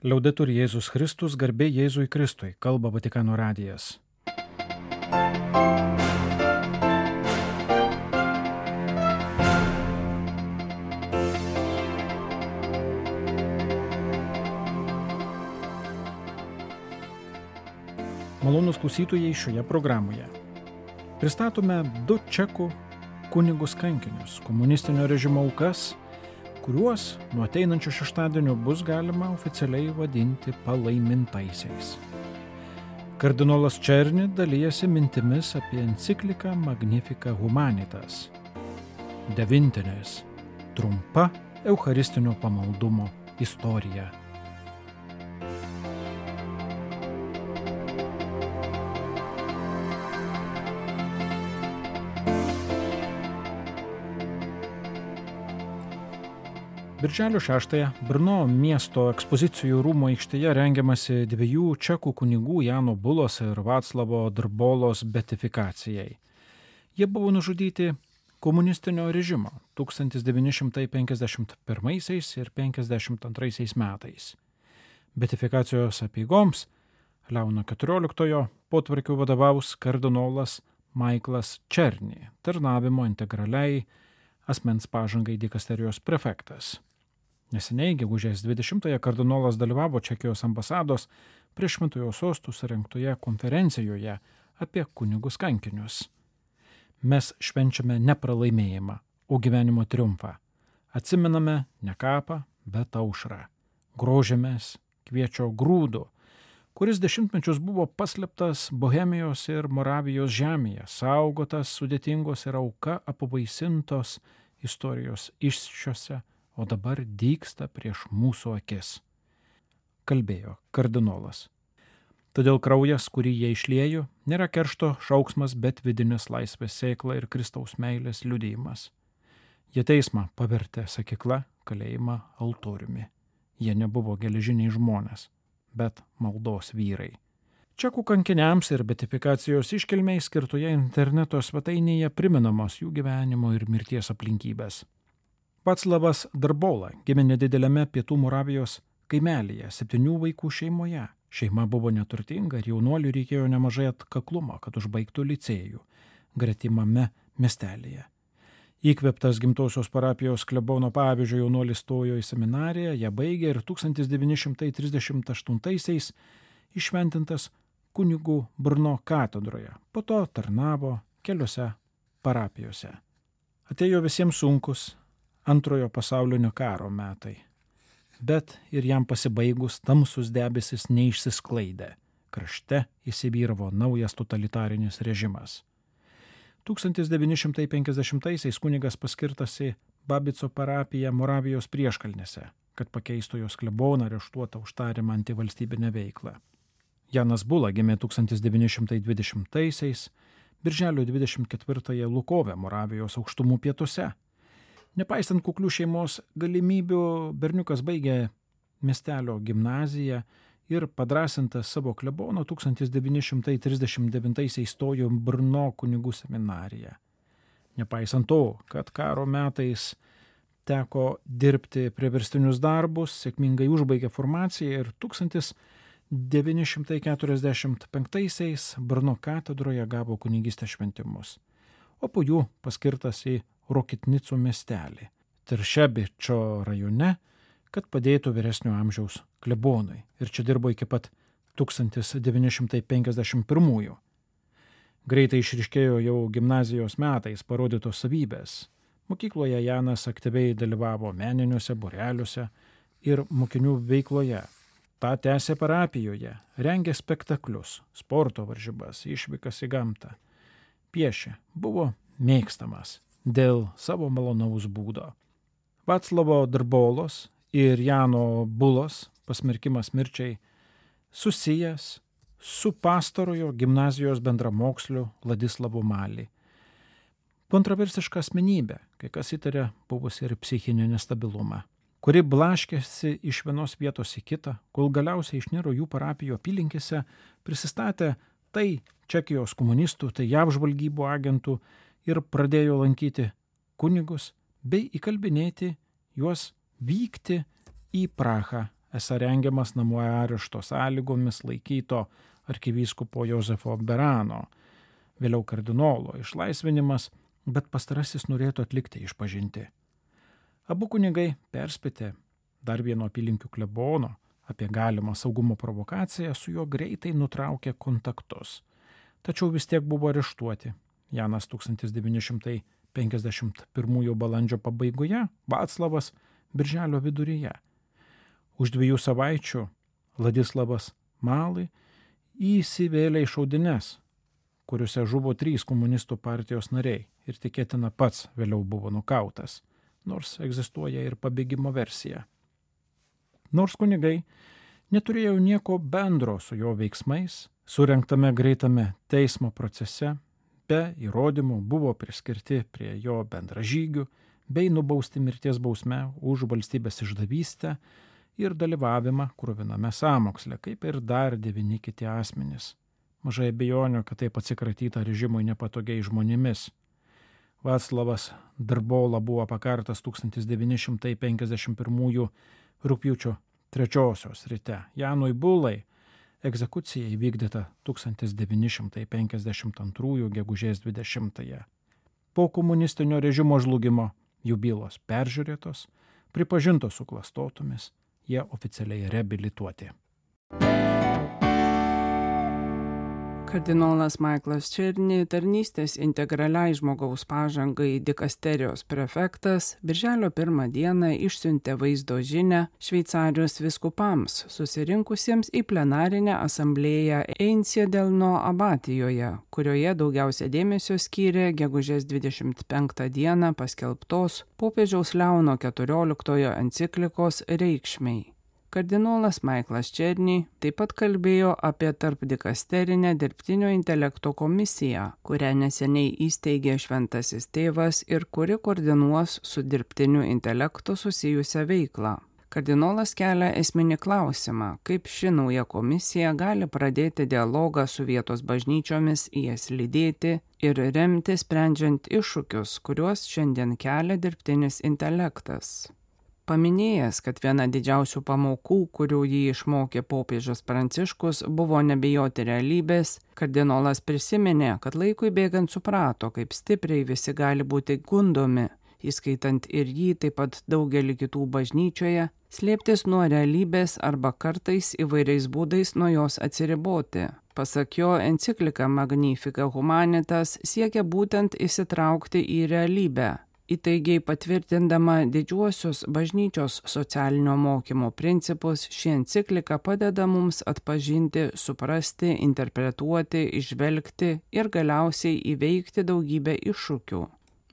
Liaudetur Jėzus Kristus, garbė Jėzui Kristui, kalba Vatikano radijas. Malonūs klausytojai, šioje programoje pristatome 2 čekų kunigus kankinius, komunistinio režimo aukas, kuriuos nuo ateinančio šeštadienio bus galima oficialiai vadinti palaimintaisiais. Kardinolas Černi dalijasi mintimis apie encikliką Magnificat Humanitas. 9. Trumpa eucharistinio pamaldumo istorija. Birželio 6-ąją Brno miesto ekspozicijų rūmų aikštėje rengiamasi 2 čekų kunigų Jano Bulos ir Vaclavo Drbolos beatifikacijai. Jie buvo nužudyti komunistinio režimo 1951 ir 1952 metais. Beatifikacijos apeigoms Leono XIV potvarkiu vadovaus kardinolas Maiklas Černi, tarnavimo integraliai asmens pažangai dikasterijos prefektas. Neseniai, gegužės 20-ąją, kardinolas dalyvavo Čekijos ambasados prie Šventojo sostų surengtoje konferencijoje apie kunigus kankinius. Mes švenčiame ne pralaimėjimą, o gyvenimo triumfą. Atsimename ne kapą, bet aušrą. Grožėmės kviečio grūdu, kuris dešimtmečius buvo paslėptas Bohemijos ir Moravijos žemėje, saugotas sudėtingos ir auka apvaisintos istorijos iššiose, o dabar dygsta prieš mūsų akis, kalbėjo kardinolas. Todėl kraujas, kurį jie išliejo, nėra keršto šauksmas, bet vidinės laisvės sėkla ir Kristaus meilės liudijimas. Jie teismą pavertė sakykla, kalėjimą altoriumi. Jie nebuvo geležiniai žmonės, bet maldos vyrai. Čekų kankiniams ir beatifikacijos iškilmei skirtoje interneto svetainėje priminamos jų gyvenimo ir mirties aplinkybės. Vaclavas Drbola gimė nedideliame pietų Moravijos kaimelyje 7 vaikų šeimoje. Šeima buvo neturtinga ir jaunuoliui reikėjo nemažai atkaklumo, kad užbaigtų licėjų gretimame miestelėje. Įkvėptas gimtosios parapijos klebono pavyzdžio jaunuolis stojo į seminariją, ją baigė ir 1938-aisiais iššventintas kunigų Brno katedroje, po to tarnavo keliose parapijose. Atėjo visiems sunkus Antrojo pasaulinio karo metai, bet ir jam pasibaigus tamsus debesis neišsisklaidė. Krašte įsivyravo naujas totalitarinis režimas. 1950-aisiais kunigas paskirtas į Babico parapiją Moravijos prieškalnėse, kad pakeistų jos kleboną areštuotą už tariamą antivalstybinę veiklą. Janas Bula gimė 1920-aisiais, birželio 24-ąją Lukove, Moravijos aukštumų pietuose. Nepaisant kuklių šeimos galimybių, berniukas baigė miestelio gimnaziją ir padrasintas savo klebono 1939-aisiais stojo Brno kunigų seminariją. Nepaisant to, kad karo metais teko dirbti priverstinius darbus, sėkmingai užbaigė formaciją ir 1945-aisiais Brno katedroje gavo kunigystės šventimus, o po jų paskirtas į Rokitnicų miestelį, Tiršebičio rajone, kad padėtų vyresnio amžiaus klebonui. Ir čia dirbo iki pat 1951. Greitai išryškėjo jau gimnazijos metais parodytos savybės. Mokykloje Janas aktyviai dalyvavo meniniuose būreliuose ir mokinių veikloje. Ta tęsė parapijoje, rengė spektaklius, sporto varžybas, išvykas į gamtą. Piešė, buvo mėgstamas dėl savo malonaus būdo. Vaclavo Drbolos ir Jano Bulos pasmerkimas mirčiai susijęs su pastarojo gimnazijos bendramoksliu Vladislavu Mali. Kontroversiška asmenybė, kai kas įtarė buvusi ir psichinį nestabilumą, kuri blaškėsi iš vienos vietos į kitą, kol galiausiai išniro jų parapijo apylinkėse, prisistatė tai Čekijos komunistų, tai JAV žvalgybų agentų ir pradėjo lankyti kunigus bei įkalbinėti juos vykti į Prahą esą rengiamas namų arešto sąlygomis laikyto arkivyskupo Jozefo Berano, vėliau kardinolo išlaisvinimas, bet pastarasis norėtų atlikti išpažintį. Abu kunigai perspėti dar vieno apylinkių klebono apie galimą saugumo provokaciją, su juo greitai nutraukė kontaktus. Tačiau vis tiek buvo areštuoti. Janas 1951 balandžio pabaigoje, Vaclavas birželio viduryje. Už 2 savaičių Vladislavas Malai įsivėlė į šaudynes, kuriuose žuvo 3 komunistų partijos nariai ir tikėtina pats vėliau buvo nukautas, nors egzistuoja ir pabėgimo versija. Nors kunigai neturėjo nieko bendro su jo veiksmais, surengtame greitame teismo procese, be įrodymų buvo priskirti prie jo bendražygių bei nubausti mirties bausme už valstybės išdavystę ir dalyvavimą kruviname sąmoksle, kaip ir dar 9 kiti asmenys. Mažai abejonių, kad taip atsikratyta režimui nepatogiai žmonėmis. Vaclavas Drbola buvo pakartas 1951 rugpjūčio 3 ryte. Janui Bulai egzekucija įvykdyta 1952 gegužės 20. Po komunistinio režimo žlugimo jų bylos peržiūrėtos, pripažintos suklastotomis, jie oficialiai reabilituoti. Kardinolas Michaelas Černy, tarnystės integraliai žmogaus pažangai dikasterijos prefektas, birželio 1 dieną išsiuntė vaizdo žinią Šveicarijos vyskupams, susirinkusiems į plenarinę asamblėją Einsiedelno abatijoje, kurioje daugiausia dėmesio skyrė gegužės 25 dieną paskelbtos popiežiaus Leono XIV enciklikos reikšmei. Kardinolas Michaelas Černy taip pat kalbėjo apie tarpdikasterinę dirbtinio intelekto komisiją, kurią neseniai įsteigė Šventasis Tėvas ir kuri koordinuos su dirbtiniu intelektu susijusią veiklą. Kardinolas kelia esminį klausimą, kaip ši nauja komisija gali pradėti dialogą su vietos bažnyčiomis, jas lydėti ir remti sprendžiant iššūkius, kuriuos šiandien kelia dirbtinis intelektas. Paminėjęs, kad viena didžiausių pamokų, kurių jį išmokė popiežius Pranciškus, buvo nebijoti realybės, kardinolas prisiminė, kad laikui bėgant suprato, kaip stipriai visi gali būti gundomi, įskaitant ir jį, taip pat daugelį kitų bažnyčioje, slėptis nuo realybės arba kartais įvairiais būdais nuo jos atsiriboti. Pasak jo, enciklika Magnificat Humanitas siekia būtent įsitraukti į realybę, įtaigiai patvirtindama didžiuosius bažnyčios socialinio mokymo principus. Ši enciklika padeda mums atpažinti, suprasti, interpretuoti, įžvelgti ir galiausiai įveikti daugybę iššūkių,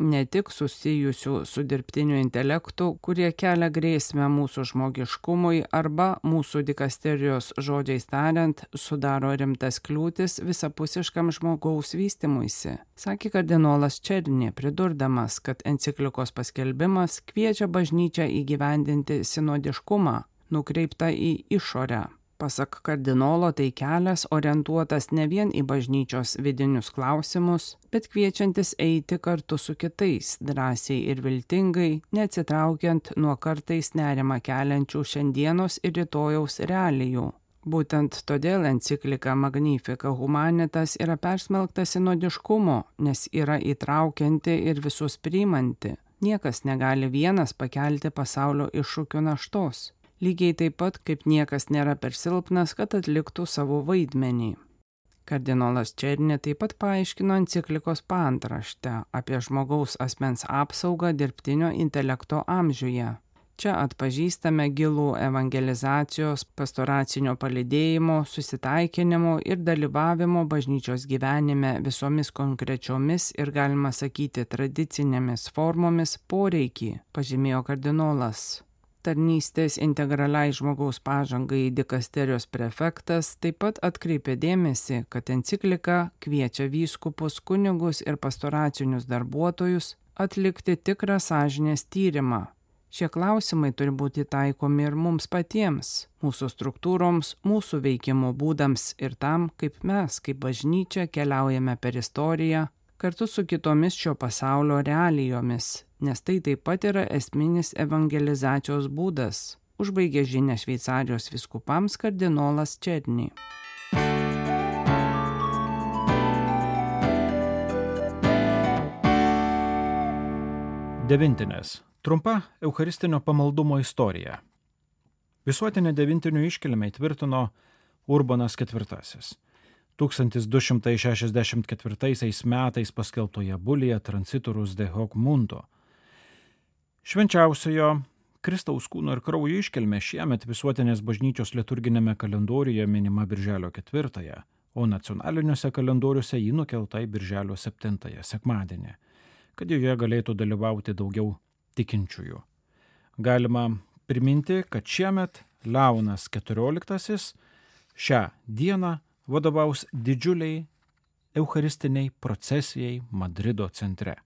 ne tik susijusių su dirbtiniu intelektu, kurie kelia grėsmę mūsų žmogiškumui arba mūsų dikasterijos žodžiais tariant, sudaro rimtas kliūtis visapusiškam žmogaus vystymuisi, sakė kardinolas Černy, pridurdamas, kad enciklikos paskelbimas kviečia bažnyčią įgyvendinti sinodiškumą, nukreiptą į išorę. Pasak kardinolo, tai kelias orientuotas ne vien į bažnyčios vidinius klausimus, bet kviečiantis eiti kartu su kitais, drąsiai ir viltingai, neatsitraukiant nuo kartais nerimą keliančių šiandienos ir rytojaus realijų. Būtent todėl enciklika Magnificat Humanitas yra persmelkta sinodiškumo, nes yra įtraukianti ir visus priimanti. Niekas negali vienas pakelti pasaulio iššūkių naštos. Lygiai taip pat, kaip niekas nėra per silpnas, kad atliktų savo vaidmenį. Kardinolas Černy taip pat paaiškino enciklikos paantraštę apie žmogaus asmens apsaugą dirbtinio intelekto amžiuje. Čia atpažįstame gilų evangelizacijos, pastoracinio palydėjimo, susitaikinimo ir dalyvavimo bažnyčios gyvenime visomis konkrečiomis ir, galima sakyti, tradicinėmis formomis poreikį, pažymėjo kardinolas. Tarnystės integraliai žmogaus pažangai dikasterijos prefektas taip pat atkreipė dėmesį, kad enciklika kviečia vyskupus, kunigus ir pastoracinius darbuotojus atlikti tikrą sąžinės tyrimą. Šie klausimai turi būti taikomi ir mums patiems, mūsų struktūroms, mūsų veikimo būdams ir tam, kaip mes, kaip bažnyčia, keliaujame per istoriją, kartu su kitomis šio pasaulio realijomis, nes tai taip pat yra esminis evangelizacijos būdas. užbaigė žinią Šveicarijos vyskupams kardinolas Černy. Devintinės. Trumpa eucharistinio pamaldumo istorija. Visuotinę devintinių iškilmę įtvirtino Urbanas IV. 1264 metais paskelbtoje bulyje Transiturus de hoc mundo. Švenčiausiojo Kristaus kūno ir kraujo iškilmė šiemet visuotinės bažnyčios liturginėme kalendoriuje minima birželio 4, o nacionaliniuose kalendoriuose ji nukelta į birželio 7 sekmadienį, kad joje galėtų dalyvauti daugiau tikinčiųjų. Galima priminti, kad šiemet Leonas XIV šią dieną vadovaus didžiuliai eucharistiniai procesijai Madrido centre.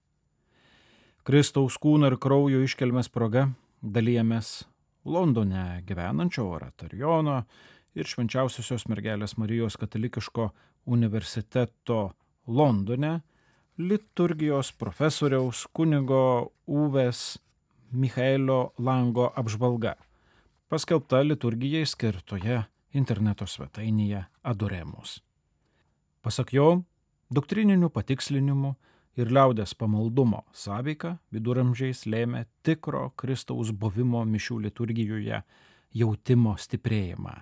Kristaus kūno ir kraujo iškilmės proga dalijamės Londone gyvenančio oratorijono ir Švenčiausiosios mergelės Marijos katalikiško universiteto Londone liturgijos profesoriaus kunigo Uvės Michaelio Lango apžvalga, paskelbta liturgijai skirtoje interneto svetainėje Adoremus. Pasak jo, doktrininių patikslinimų ir liaudies pamaldumo sąveika viduramžiais lėmė tikro Kristaus buvimo mišių liturgijoje jautimo stiprėjimą.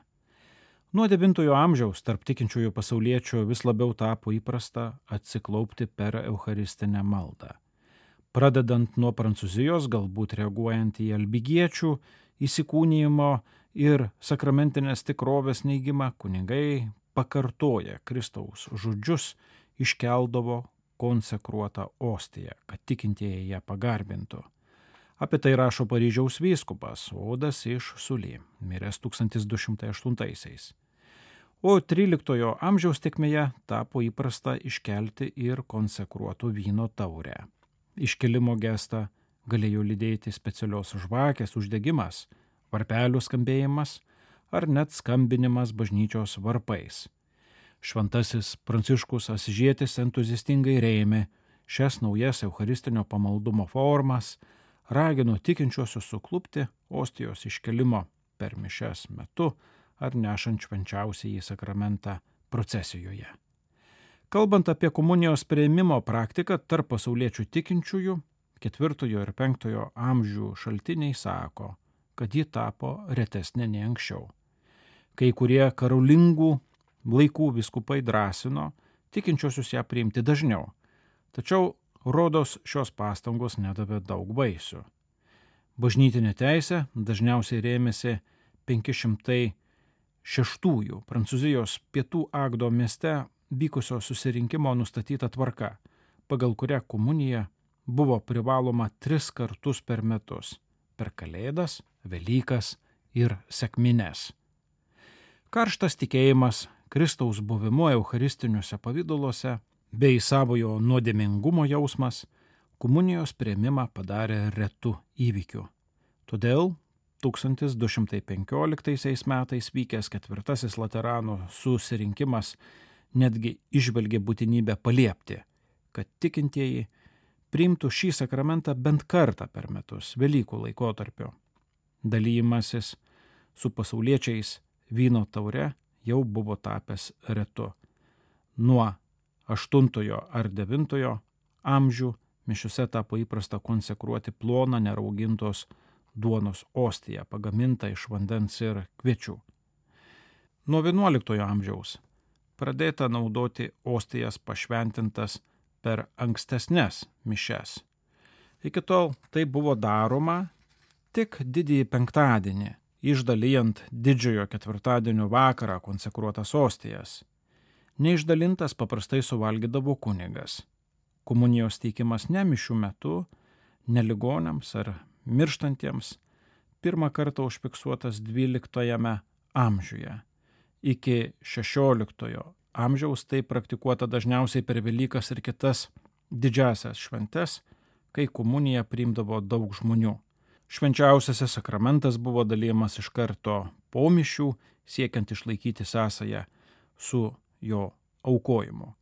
Nuo 9 amžiaus tarp tikinčiųjų pasauliečių vis labiau tapo įprasta atsiklaupti per eucharistinę maldą. Pradedant nuo Prancūzijos, galbūt reaguojant į albigiečių įsikūnijimo ir sakramentinės tikrovės neigimą, kunigai pakartoja Kristaus žodžius, iškeldavo konsekruotą ostiją, kad tikintieji ją pagarbintų. Apie tai rašo Paryžiaus vyskupas Odas iš Sully, miręs 1208. O 13 amžiaus tėkmėje tapo įprasta iškelti ir konsekruotų vyno taurę. Iškelimo gestą galėjo lydėti specialios žvakės uždegimas, varpelių skambėjimas ar net skambinimas bažnyčios varpais. Šventasis Pranciškus Asyžietis entuziastingai rėmė šias naujas eucharistinio pamaldumo formas, ragino tikinčiuosius suklupti ostijos iškelimo per mišias metu ar nešant švenčiausiąjį sakramentą procesijoje. Kalbant apie komunijos priėmimo praktiką tarp pasauliečių tikinčiųjų, 4 ir 5 amžių šaltiniai sako, kad ji tapo retesnė nei anksčiau. Kai kurie karolingų laikų vyskupai drąsino tikinčiosius ją priimti dažniau, tačiau rodos šios pastangos nedavė daug vaisių. Bažnytinė teisė dažniausiai rėmėsi 506 Prancūzijos pietų Agdo mieste vykusio susirinkimo nustatyta tvarka, pagal kurią komunija buvo privaloma 3 kartus per metus – per Kalėdas, Velykas ir sekmines. Karštas tikėjimas Kristaus buvimu eucharistiniuose pavidaluose bei savojo nuodėmingumo jausmas komunijos priėmimą padarė retu įvykiu. Todėl 1215 metais vykęs 4. Laterano susirinkimas netgi išvelgė būtinybę paliepti, kad tikintieji priimtų šį sakramentą bent kartą per metus Velykų laikotarpio. Dalymasis su pasauliečiais vyno taure jau buvo tapęs retu. Nuo 8 ar 9 amžių mišiose tapo įprasta konsekruoti ploną neraugintos duonos ostiją, pagamintą iš vandens ir kviečių. Nuo 11 amžiaus pradėta naudoti ostijas pašventintas per ankstesnes mišias. Iki tol tai buvo daroma tik didįjį penktadienį, išdalijant didžiojo ketvirtadienio vakarą konsekruotas ostijas. Neišdalintas paprastai suvalgydavo kunigas. Komunijos teikimas ne mišių metu, ne ligoniams ar mirštantiems pirmą kartą užfiksuotas 12 amžiuje. Iki 16 amžiaus tai praktikuota dažniausiai per Velykas ir kitas didžiasias šventes, kai komuniją priimdavo daug žmonių. Švenčiausiasis sakramentas buvo dalijamas iš karto po mišių, siekiant išlaikyti sąsają su jo aukojimu.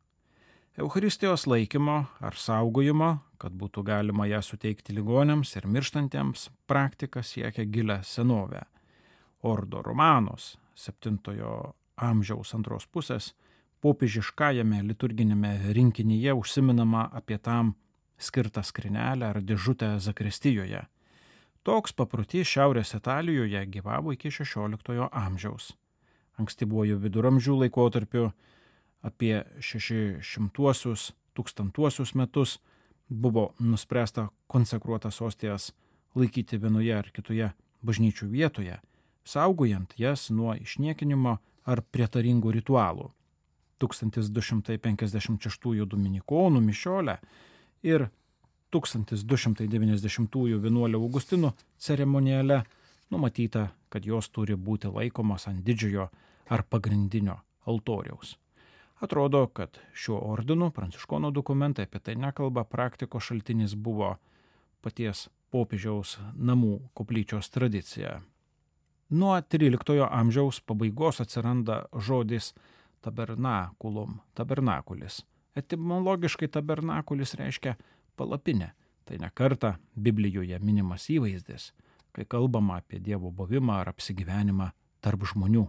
Eucharistijos laikymo ar saugojimo, kad būtų galima ją suteikti ligoniams ir mirštantiems, praktika siekia gilią senovę. Ordo Romanos 7 amžiaus antros pusės popiežiškajame liturginėme rinkinyje užsiminama apie tam skirtą skrynelę ar dėžutę zakristijoje. Toks paprotys Šiaurės Italijoje gyvavo iki 16 amžiaus. Ankstyvuoju viduramžių laikotarpiu apie 600-1000 metus buvo nuspręsta konsekruotas ostijas laikyti vienoje ar kitoje bažnyčių vietoje, saugojant jas nuo išniekinimo ar prietaringų ritualų. 1256 dominikonų mišiolę ir 1290 vienuolio Augustinų ceremoniale numatyta, kad jos turi būti laikomos ant didžiojo ar pagrindinio altoriaus. Atrodo, kad šiuo ordinu pranciškonų dokumentai apie tai nekalba, praktikos šaltinis buvo paties popiežiaus namų koplyčios tradicija. Nuo 13 amžiaus pabaigos atsiranda žodis tabernakulum, tabernakulis. Etimologiškai tabernakulis reiškia palapinę. Tai ne kartą Biblijoje minimas įvaizdis, kai kalbama apie Dievo buvimą ar apsigyvenimą tarp žmonių.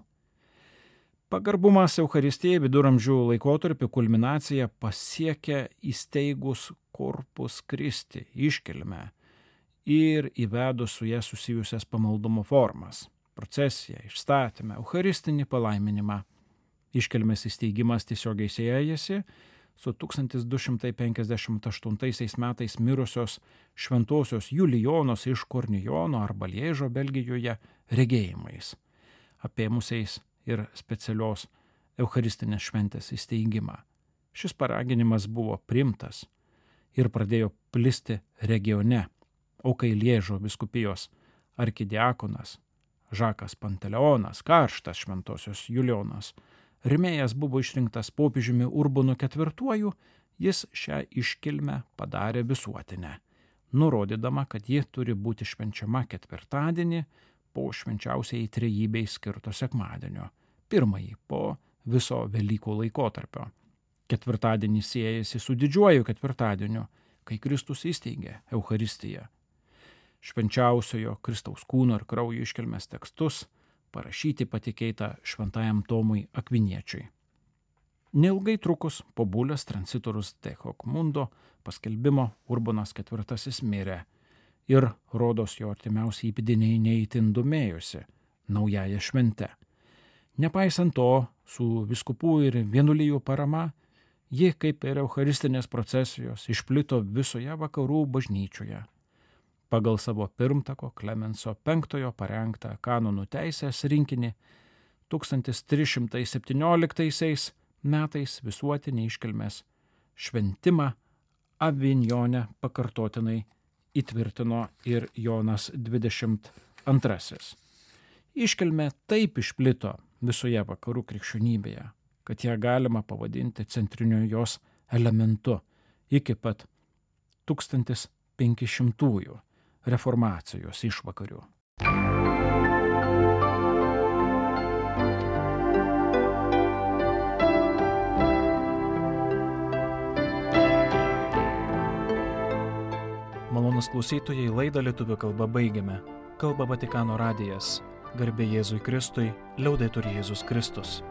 Pagarbumas Eucharistijai viduramžių laikotarpiu kulminaciją pasiekia įsteigus Corpus Christi iškilmę ir įvedus su ją susijusias pamaldumo formas – procesiją, išstatymą, eucharistinį palaiminimą. Iškilmės įsteigimas tiesiogiai siejasi su 1258 metais mirusios šventosios Julijonos iš Kornijono arba Liežo Belgijoje regėjimais, apėmusiais ir specialios eucharistinės šventės įsteigimą. Šis paraginimas buvo priimtas ir pradėjo plisti regione, o kai Liežo vyskupijos arkidiakonas Žakas Panteleonas, karštas šventosios Julijonos rėmėjas buvo išrinktas popiežiumi Urbanu IV, jis šią iškilmę padarė visuotinę, nurodydama, kad ji turi būti švenčiama ketvirtadienį po švenčiausiai trejybei skirto sekmadienio, pirmąjį po viso Velykų laikotarpio. Ketvirtadienis siejasi su didžiuoju ketvirtadieniu, kai Kristus įsteigė Eucharistiją. Švenčiausiojo Kristaus kūno ir kraujo iškilmės tekstus parašyti patikėta šventajam Tomui Akviniečiui. Neilgai trukus po bulės transitorus de hoc mundo paskelbimo Urbanas IV mirė ir rodos jo artimiausi įpėdiniai neįtin domėjosi naująją šventę. Nepaisant to, su vyskupų ir vienuolijų parama, ji, kaip ir eucharistinės procesijos, išplito visoje vakarų bažnyčioje. Pagal savo pirmtako Klemenso V parengtą kanonų teisės rinkinį 1317 metais visuotinį iškilmės šventimą Avignone pakartotinai įtvirtino ir Jonas XXII. Iškilmė taip išplito visoje vakarų krikščionybėje, kad ją galima pavadinti centriniu jos elementu iki pat 1500-ųjų reformacijos išvakarių. Malonūs klausytojai, laidą lietuvių kalba baigiame. Kalba Vatikano radijas. Garbė Jėzui Kristui, liaudetur Jėzus Kristus.